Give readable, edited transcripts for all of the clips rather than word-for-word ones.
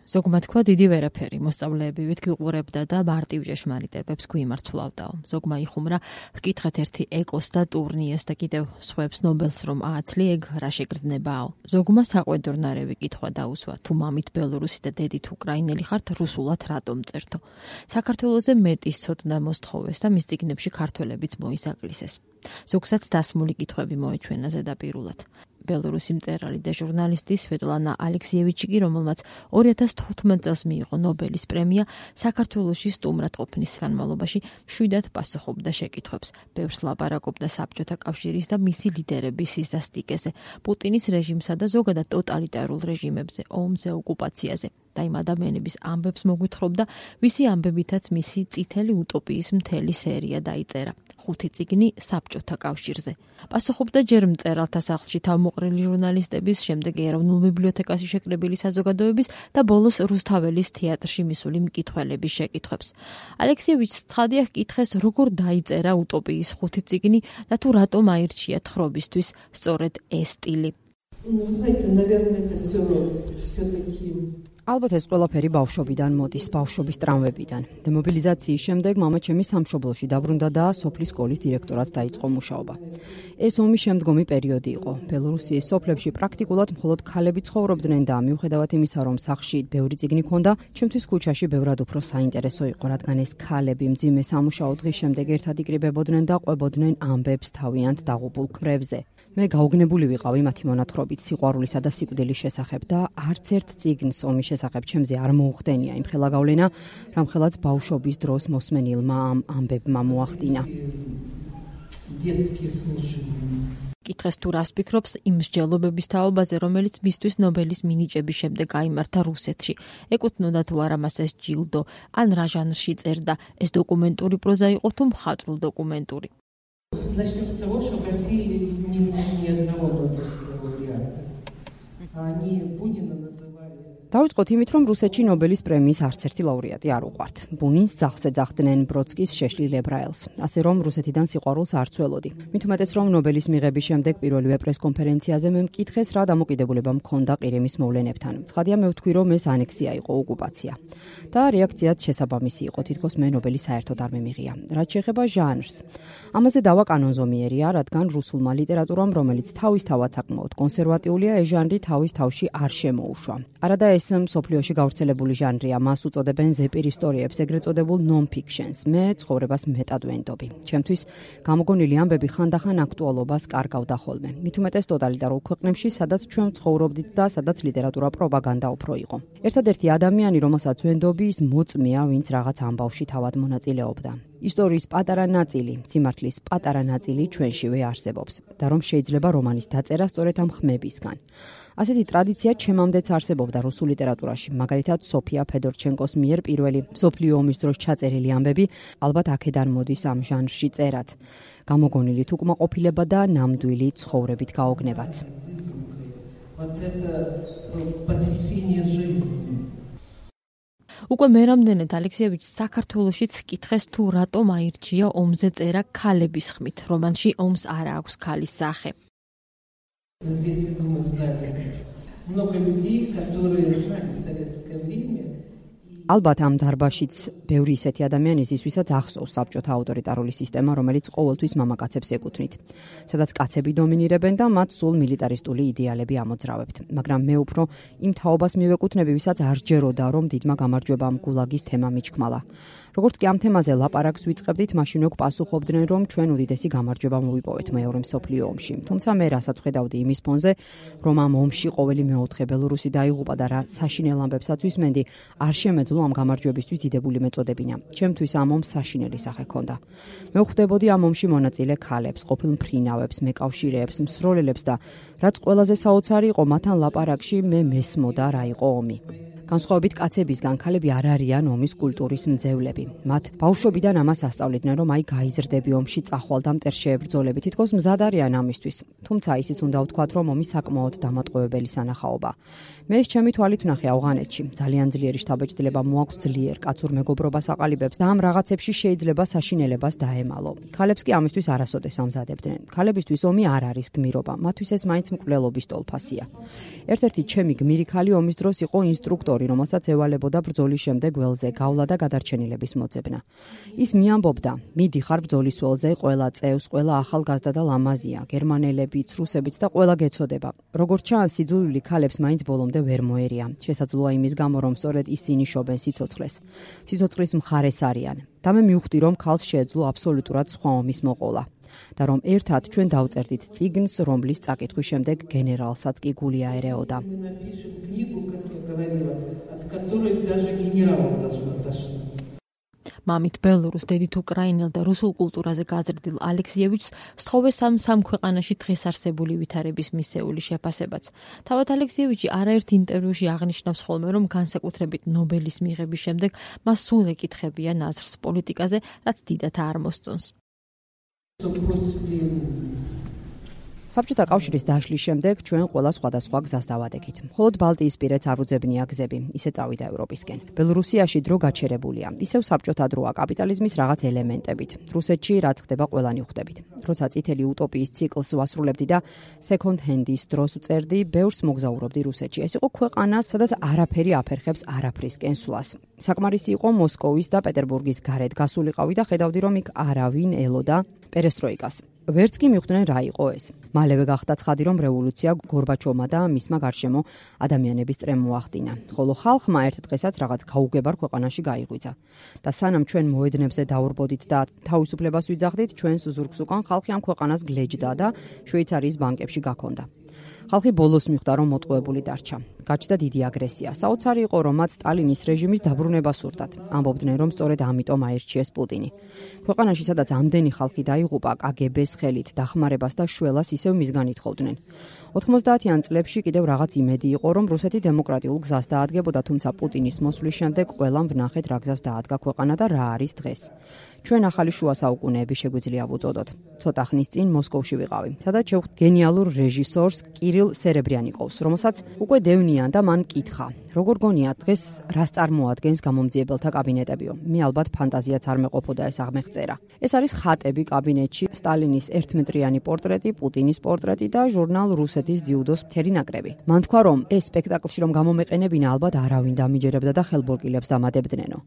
ზოგმა თქვა დიდი ვერაფერი, მოსწავლეებივით გიყურებდა და მარტივ ჭეშმარიტებებს გვიმარცვლავდაო. ზოგმა იხუმრა, ჰკითხეთ ერთი ეკოს და ტურნიეს და კიდევ სხვებს ნობელს რომ ააცლი, ეგ რა შეგრძნებაო. ზოგმა საყვედურნარევი კითხვა დაუსვა, თუ მამით ბელორუსი და დედით უკრაინელი ხართ, რუსულად რატომ წერთო. საქართველოზე მეტის ცოდნა მოსთხოვეს და მის წიგნებში ქართველებიც მოისაკლისეს. ზოგსაც დასმული კითხვები მოეჩვენა ზედაპირულად. ბელორუსი მწერალი და ჟურნალისტი სვეტლანა ალექსიევიჩი კი, რომელმაც 2015 წელს მიიღო ნობელის პრემია, საქართველოში სტუმრად ყოფნის განმავლობაში მშვიდად პასუხობდა შეკითხვებს. ბევრს ლაპარაკობდა საბჭოთა კავშირის და მისი ლიდერების სისასტიკეზე, პუტინის რეჟიმსა და ზოგადად ტოტალიტარულ რეჟიმებზე, ომზე, ოკუპაციაზე. და იმ ადამიანების ამბებს მოგვითხრობდა, ვისი ამბებითაც მისი წითელი утоპიის მთელი სერია დაიწერა. 5 წიგნი საბჭოთა კავშირზე. პასუხობდა ჯერ მწერალთა სახლში თავმოყრილი ჟურნალისტების, შემდეგ ეროვნულ ბიბლიოთეკაში შეკრებილი საზოგადოების და ბოლოს რუსთაველის თეატრში მისული მკითხველების შეკითხვებს. ალექსიევიჩს ცხადია ჰკითხეს, როგორ დაიწერა утоპიის 5 წიგნი და თუ რატომ აირჩია თხრობისთვის სწორედ ეს სტილი. ალბათ ეს ყველაფერი ბავშვობიდან მოდის, ბავშვობის ტრამვებიდან. დემობილიზაციის შემდეგ მამაჩემი სამშობლოში დაბრუნდა და სოფლის სკოლის დირექტორად დაიწყო მუშაობა. ეს ომის შემდგომი პერიოდი იყო. ბელორუსიის სოფლებში პრაქტიკულად მხოლოდ ქალები ცხოვრობდნენ და მიუხედავად იმისა, რომ სახლში ბევრი წიგნი ჰქონდა, ჩემთვის ქუჩაში ბევრად უფრო საინტერესო იყო, რადგან ეს ქალები მძიმე სამუშაო დღის შემდეგ ერთად იკრიბებოდნენ და ყვებოდნენ ამბებს თავიანთ დაღუპულ ქმრებზე. მე გაუგნებული ვიყავი მათი მონათხრობით სიყვარულისა და სიკვდილის შესახებ და არც ერთ წიგნს ომის შესახებ ჩემზე არ მოუხდენია იმ ხელა გავლენა, რამხელაც ბავშვობის დროს მოსმენილმა ამ ამბებმა მოახდინა. კითხეს თუ რას ფიქრობს იმ მსჯელობების თაობაზე, რომელიც მისთვის ნობელის მინიჭების შემდეგ გაიმართა რუსეთში. ეკუთვნოდა თუ არა მას ეს ჯილდო, ან რა ჟანრში წერდა, ეს დოკუმენტური პროზა იყო თუ მხატვრულ დოკუმენტური. Начнем с того, что в России ни одного Нобелевского лауреата. Они Бунина называли. დავიწყოთ იმით, რომ რუსეთში ნობელის პრემიის არც ერთი ლაურეატი არ უყვართ. ბუნინს ძაღლს ეძახდნენ, ბროდსკის შეშლილ ებრაელს. ასე რომ რუსეთიდან სიყვარულს არ ცველოდი. მით უმეტეს რომ ნობელის მიღების შემდეგ პირველივე პრესკონფერენციაზე მე მკითხეს, რა დამოკიდებულება მქონდა ყირიმის მოვლენებთან. ცხადია მე ვთქვი, რომ ეს ანექსია იყო, ოკუპაცია. და რეაქციაც შესაბამისი იყო, თითქოს მე ნობელი საერთოდ არ მემიღია. რაც შეეხება ჟანრს. ამაზე დავა კანონზომიერია, რადგან რუსულმა ლიტერატურამ, რომელიც თავისთავად საკმაოდ კონსერვატიულია, ეს ჟანრი თავის თავში არ შემოუშვა. არადა ეს მსოფლიოში გავრცელებული ჟანრია, მას უწოდებენ ზეპირ ისტორიებს, ეგრეთ წოდებულ non-fictions. მე ცხოვრებას მეტად ვენდობი. ჩემთვის გამოგონილი ამბები ხანდახან აქტუალობას კარგავდა ხოლმე. მით უმეტეს ტოტალიტარულ ქვეყნებში, სადაც ჩვენ ცხოვრობდით და სადაც ლიტერატურა პროპაგანდა უფრო იყო. ერთადერთი ადამიანი, რომელსაც ვენდობი, ის მოწმეა, ვინც რაღაც ამბავში თავად მონაწილეობდა. ისტორიის პატარა ნაწილი, სიმართლის პატარა ნაწილი ჩვენშივე არსებობს და რომ შეიძლება რომანის დაწერა სწორედ ამ ხმებისგან. ასეთი ტრადიცია ჩემამდეც არსებობდა რუსულ ლიტერატურაში, მაგალითად სოფია ფედორჩენკოს მიერ პირველი მსოფლიო ომის დროს ჩაწერილი ამბები, ალბათ აქედან მოდის ამ ჟანრში წერაც. გამოგონილი უკმაყოფილება და ნამდვილი ცხოვრებით გაოგნებაც. უკვე მერამდენედ ალექსიევიჩს საქართველოშიც კითხეს თუ რატომ აირჩია ომზე წერა ქალების ხმით. რომანში ომს არ აქვს ქალის სახე. Здесь, я думаю, знали много людей, которые знали советское время. ალბათ ამ დარბაშიც ბევრი ისეთი ადამიანი ის, ვისაც ახსოვს საბჭოთა ავტორიტარული სისტემა, რომელიც ყოველთვის მამაკაცებს ეკუთვნით, სადაც კაცები დომინირებენ და მათ სულ მილიტარისტული იდეალები ამოძრავებთ. მაგრამ მე უფრო იმ თაობას მივეკუთვნები, ვისაც არ ჯეროდა, რომ დიდმა გამარჯვებამ გულაგის თემა მიჩქმალა. როგორც კი ამ თემაზე ლაპარაკს ვიწყებდით, მაშინ უკვე პასუხობდნენ, რომ ჩვენ უდიდესი გამარჯვება მოვიპოვეთ მეორე მსოფლიო ომში. თუმცა მე რასაც ხედავდი იმის ფონზე, რომ ამ ომში ყოველი მეოთხე ბელორუსი დაიღუპა და რა საშინელ ამბებსაც ვისმენდი, არ შემეძლო ამ გამარჯვებისთვის დიდებული მეწოდებინა. ჩემთვის ამ ომს საშინელი სახე ჰქონდა. მე ვხვდებოდი ამ ომში მონაწილე ქალებს, ყოფილ მფრინავებს, მეკავშირეებს, მსროლელებს და რაც ყველაზე საოცარი იყო, მათთან ლაპარაკში მე მესმოდა რა იყო ომი. განსხვავებით კაცებისგან, ქალები არ არიან ომის კულტურის მძევლები. მათ ბავშვობიდან ამას ასწავლიდნენ, რომ აი გაიზრდები ომში, წახვალ და მტერს შეებრძოლები, თითქოს მზად არიან ამისთვის. თუმცა ისიც უნდა ვთქვათ, რომ ომი საკმაოდ დამატყუებელი სანახაობა. მე ეს ჩემი თვალით ვნახე ავღანეთში. ძალიან ძლიერი შთაბეჭდილება მოაქვს ძლიერ კაცურ მეგობრობას აყალიბებს და ამ რაღაცებში შეიძლება საშინელებას დაემალო. ქალებს კი ამისთვის არასოდეს ამზადებდნენ. ქალებისთვის ომი არ არის გმირობა, მათთვის ეს მაინც მკვლელობის ტოლფასია. ერთ-ერთი ჩემი გმირი ქალი ომის დროს იყო ინსტრუქტორი დიქტატორი, რომელსაც ევალებოდა ბრძოლის შემდეგ ველზე გავლა და გადარჩენილების მოძებნა. ის მიამბობდა: "მიდიხარ ბრძოლის ველზე, ყველა წევს, ყველა ახალგაზრდა და ლამაზია, გერმანელებიც, რუსებიც და ყველა გეცოდება. როგორც ჩანს, სიძულვილი ქალებს მაინც ბოლომდე ვერ მოერია. შესაძლოა იმის გამო, რომ სწორედ ისინი შობენ სიცოცხლეს. სიცოცხლის მხარეს არიან. და მე მივხვდი, რომ ქალს შეეძლო აბსოლუტურად სხვა ომის მოყოლა. და რომ ერთად ჩვენ დავწერდით წიგნს, რომლის წაკითხვის შემდეგ გენერალსაც კი გული აერეოდა. მამით ბელორუს, დედით უკრაინელ და რუსულ კულტურაზე გაზრდილ ალექსიევიჩს სთხოვეს სამ ქვეყანაში დღეს არსებული ვითარების მისეული შეფასებაც. თავად ალექსიევიჩი არაერთ ინტერვიუში აღნიშნავს ხოლმე, რომ განსაკუთრებით ნობელის მიღების შემდეგ მას სულ ეკითხებიან აზრს პოლიტიკაზე, რაც დიდათ არ მოსწონს. საბჭოთა კავშირის დაშლის შემდეგ ჩვენ ყველა სხვადასხვა გზას დავადექით. მხოლოდ ბალტიისპირეთს არ უძებნია გზები, ისე წავიდა ევროპისკენ. ბელორუსიაში დრო გაჩერებულია, ისევ საბჭოთა დროა კაპიტალიზმის რაღაც ელემენტებით. რუსეთში რაც ხდება ყველანი ხვდებით. როცა წითელი utopიის ციკლს ვასრულებდი და second hand-ის დროს უწერდი, ბევრს მოგზაურობდი რუსეთში. ეს იყო ქვეყანა, სადაც არაფერი აფერხებს არაფრისკენ სვლას. საკმარისი იყო მოსკოვის და პეტერბურგის გარეთ გასულიყავი და ხედავდი, რომ იქ არავინ ელოდა პერესტროიკას. ვერც კი მიხვდნენ რა იყო ეს. მალევე გახდა ცხადი, რომ რევოლუცია გორბაჩოვმა და მისმა გარშემო ადამიანების წრემ მოახდინა. ხოლო ხალხმა ერთ დღესაც რაღაც გაუგებარ ქვეყანაში გაიღვიძა. და სანამ ჩვენ მოედნებზე დავრბოდით და თავისუფლებას ვიძახდით, ჩვენს ზურგს უკან ხალხი ამ ქვეყანას გლეჯდა და შვეიცარიის ბანკებში გაქონდა. ხალხი ბოლოს მიხვდა, რომ მოტყუებული დარჩა. გაჩნდა დიდი აგრესია. საოცარი იყო, რომ მათ სტალინის რეჟიმის დაბრუნება სურდათ. ამბობდნენ, რომ სწორედ ამიტომ აირჩიეს პუტინი. ქვეყანაში, სადაც ამდენი ხალხი დაიღუპა კგბ-ს ხელით, დახმარებას და შველას ისევ მისგან ითხოვდნენ. 90-იან წლებში კიდევ რაღაც იმედი იყო, რომ რუსეთი დემოკრატიულ გზას დაადგებოდა, თუმცა პუტინის მოსვლის შემდეგ ყველამ ვნახეთ რა გზას დაადგა ქვეყანა და რა არის დღეს. ჩვენ ახალი შუა საუკუნეები შეგვიძლია ვუწოდოთ. ცოტა ხნის წინ მოსკოვში ვიყავი, სადაც შევხვდით გენიალურ რეჟისორს კირილ სერებრიანიკოვს, რომელსაც უკვე დევნიან და მან კითხა: როგორ გონიათ დღეს რას წარმოადგენს გამომძიებელთა კაბინეტებიო? მე ალბათ ფანტაზიაც არ მეყოფოდა ეს აღმეხწერა. ეს არის ხატები კაბინეტში, სტალინის ერთმეტრიანი პორტრეტი, პუტინის პორტრეტი და ჟურნალ რუსეთის ძიუდოს მთელი ნაკრები. მან თქვა, რომ ეს სპექტაკლში რომ გამომეყენებინა, ალბათ არავინ დამიჯერებდა და ხელბორკილებს ამადებდნენო.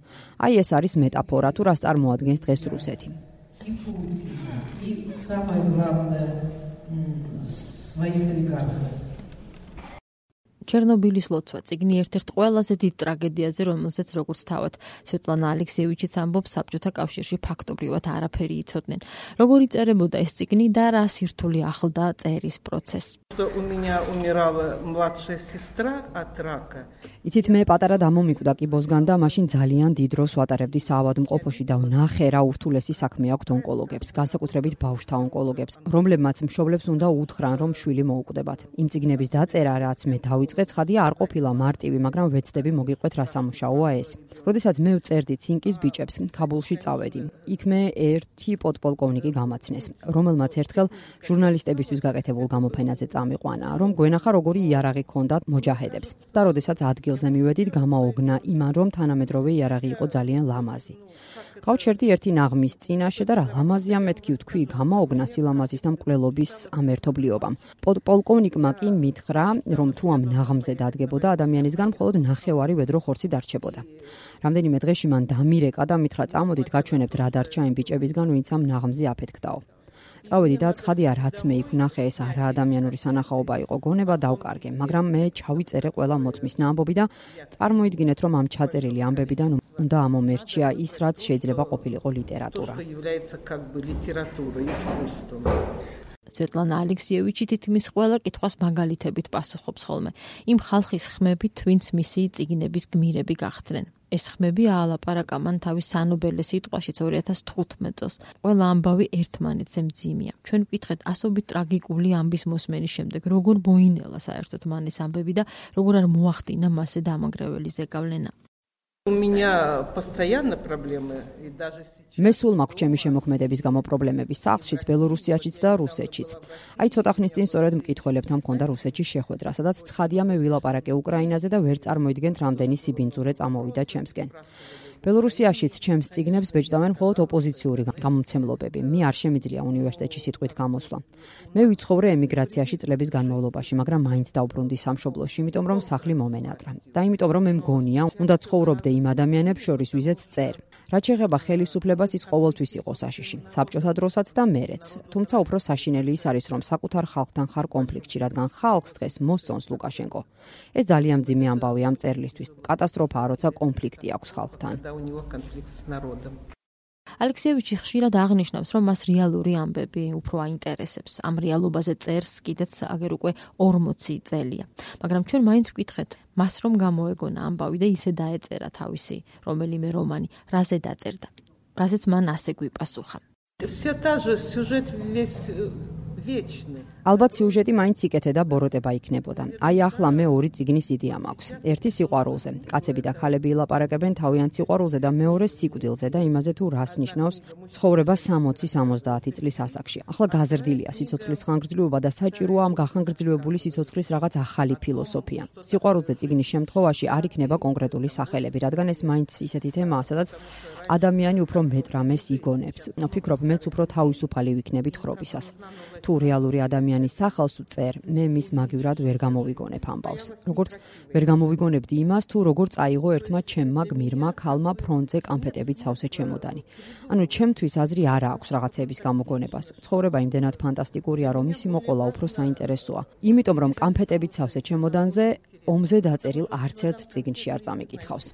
აი ეს არის მეტაფორა თუ რას წარმოადგენს დღეს რუსეთი. ჩერნობილის ლოცვა წიგნი ერთ-ერთ ყველაზე დიდ ტრაგედიაზე, რომელზეც როგორც თავად სვეტლანა ალექსიევიჩიც ამბობს, საბჭოთა კავშირში ფაქტობრივად არაფერი იცოდნენ. როგორ იწერებოდა ეს წიგნი და რა სირთულე ახლდა წერის პროცესს? იცით, მე პატარა დამომიკვდა კიბოსგან და მაშინ ძალიან დიდ დროს ვატარებდი საავადმყოფოში და ვნახე რა ურთულესი საქმე აქვთ ონკოლოგებს, განსაკუთრებით ბავშვთა ონკოლოგებს, რომლებმაც მშობლებს უნდა უთხრან, რომ შვილი მოუკვდებათ. იმ წიგნების დაწერა, რაც მე დავიწყე, ცხადია არ ყოფილა მარტივი, მაგრამ ვეცდები მოგიყვეთ რა სამუშაოა ეს. როდესაც მე ვწერდი ცინკის ბიჭებს, ქაბულში წავედი. იქ მე ერთი პოდპოლკოვნიკი გამაცნეს, რომელმაც ერთხელ ჟურნალისტებისთვის გაკეთებულ გამოფენაზე წამიყვანა, რომ გვენახა როგორი იარაღი ჰქონდათ მოჯაჰედებს. და როდესაც ადგილზე მივედით, გამაოგნა იმან, რომ თანამედროვე იარაღი იყო ძალიან ლამაზი. გავჩერდი ერთი ნაღმის წინაშე და რა ლამაზია მეთქი ვთქვი, გამაოგნა სილამაზის და მკვლელობის ამ ერთობლიობამ. პოლკოვნიკმა კი მითხრა, რომ თუ ამ ნაღმზე დადგებოდა ადამიანისგან მხოლოდ ნახევარი ვედრო ხორცი დარჩებოდა. რამდენიმე დღეში მან დამირეკა და მითხრა, წამოდით გაჩვენებთ რა დარჩა იმ ბიჭებისგან, ვინც ამ ნაღმზე აფეთქდაო. წავედი და ცხადია, რაც მე იქ ვნახე, ეს არა ადამიანური სანახაობა იყო, გონება დავკარგე, მაგრამ მე ჩავიწერე ყველა მოწმის ნამბობი და წარმოიდგინეთ, რომ ამ ჩაწერილი ამბებიდან უნდა ამომერჩია ის, რაც შეიძლება ყოფილიყო ლიტერატურა. სვეტლანა ალექსიევიჩი თითქმის ყველა კითხვას მაგალითებით პასუხობს ხოლმე. იმ ხალხის ხმებით, ვინც მისი წიგნების გმირები გახდნენ. ეს ხმები აალაპარაკა მან თავის სანობელე სიტყვაში 2015 წელს. ყველა ამბავი ერთმანეთზე მძიმეა. ჩვენ ვკითხეთ ასობით ტრაგიკული ამბის მოსმენის შემდეგ, როგორ მოინელა საერთოდ მან ეს ამბები და როგორ არ მოახდინა მასზე დამანგრეველი ზეგავლენა. მე სულ მაქვს ჩემი შემოქმედების გამო პრობლემები სახლშიც, ბელორუსიაშიც და რუსეთშიც. აი ცოტა ხნის წინ სწორედ მკითხველებთან მქონდა რუსეთში შეხვედრა, სადაც ცხადია მე ვილაპარაკე უკრაინაზე და ვერ წარმოიდგენთ რამდენი სიბინძურე წამოვიდა ჩემსკენ. ბელორუსიაშიც ჩემს წიგნებს ბეჭდავენ მხოლოდ ოპოზიციური გამომცემლობები. მე არ შემიძლია უნივერსიტეტში სიტყვით გამოსვლა. მე ვიცხოვრე ემიგრაციაში წლების განმავლობაში, მაგრამ მაინც დავბრუნდი სამშობლოში, იმიტომ რომ სახლი მომენატრა. და იმიტომ რომ მე მგონია, უნდა ცხოვრობდე იმ ადამიანებს შორის, ვიზეთ წერ. რაც შეეხება ხელისუფლებას, ის ყოველთვის იყო საშიში, საბჭოთა დროსაც და მერეც. თუმცა უფრო საშინელი ის არის, რომ საკუთარ ხალხთან ხარ კონფლიქტში, რადგან ხალხს დღეს მოსწონს ლუკაშენკო. ეს ძალიან მძიმე ამბავი ამ წერლისთვის. კატასტროფაა, როცა კონფლიქტი აქვს ხალხთან. ალექსიევიჩი ხშირად აღნიშნავს, რომ მას რეალური ამბები უფრო აინტერესებს. ამ რეალობაზე წერს კიდეც აგერ უკვე 40 წელია. მაგრამ ჩვენ მაინც ვკითხეთ, მას რომ გამოეგონა ამბავი და ისე დაეწერა თავისი რომელიმე რომანი, რაზე დაწერდა. რაზეც მან ასე გვიპასუხა. ალბათ სიუჟეტი მაინც იკეთე და ბოროტება იქნებოდა. აი ახლა მე ორი წიგნის იდეა მაქვს. ერთი სიყვარულზე. კაცები და ქალები ილაპარაკებენ თავიანთ სიყვარულზე და მეორე სიკვდილზე და იმაზე თუ რას ნიშნავს ცხოვრება 60-70 წლის ასაკში. ახლა გაზრდილია სიცოცხლის ხანგრძლივობა და საჭიროა ამ გახანგრძლივებული სიცოცხლის რაღაც ახალი ფილოსოფია. სიყვარულზე წიგნის შემთხვევაში არ იქნება კონკრეტული სახელები, რადგან ეს მაინც ისეთი თემაა, სადაც ადამიანი უფრო მეტ რამეს იგონებს. ვფიქრობ, მეც უფრო თავისუფალი ვიქნებით ხრობისას. თუ რეალური ადამიანის სახელს ვწერ, მე მის მაგივრად ვერ გამოვიგონებ ამბავს. როგორც ვერ გამოვიგონებდი იმას, თუ როგორ წაიღო ერთმა ჩემმა გმირმა ქალმა ფრონტზე კამფეტებით სავსე ჩემოდანი. ანუ ჩემთვის აზრი არ აქვს რაღაცების გამოგონებას. ცხოვრება იმდენად ფანტასტიკურია, რომ ისი მოყოლა უფრო საინტერესოა. იმიტომ რომ კამფეტებით სავსე ჩემოდანზე ომზე დაწერილ არც ერთ წიგნში არ წამიკითხავს.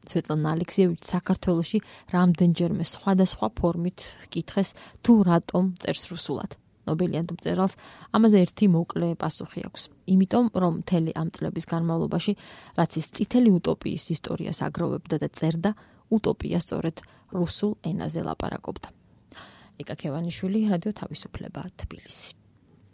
სვეტლანა ალექსიევიჩი საქართველოში რამდენჯერმე სხვადასხვა ფორმით კითხეს თუ რატომ წერს რუსულად. ნობელიანტ მწერალს ამაზე ერთი მოკლე პასუხი აქვს. იმიტომ რომ მთელი ამ წლების განმავლობაში, რაც ის წითელი უტოპიის ისტორიას აგროვებდა და წერდა, უტოპია სწორედ რუსულ ენაზე ლაპარაკობდა. იკა ქევანიშვილი, რადიო თავისუფლება, თბილისი.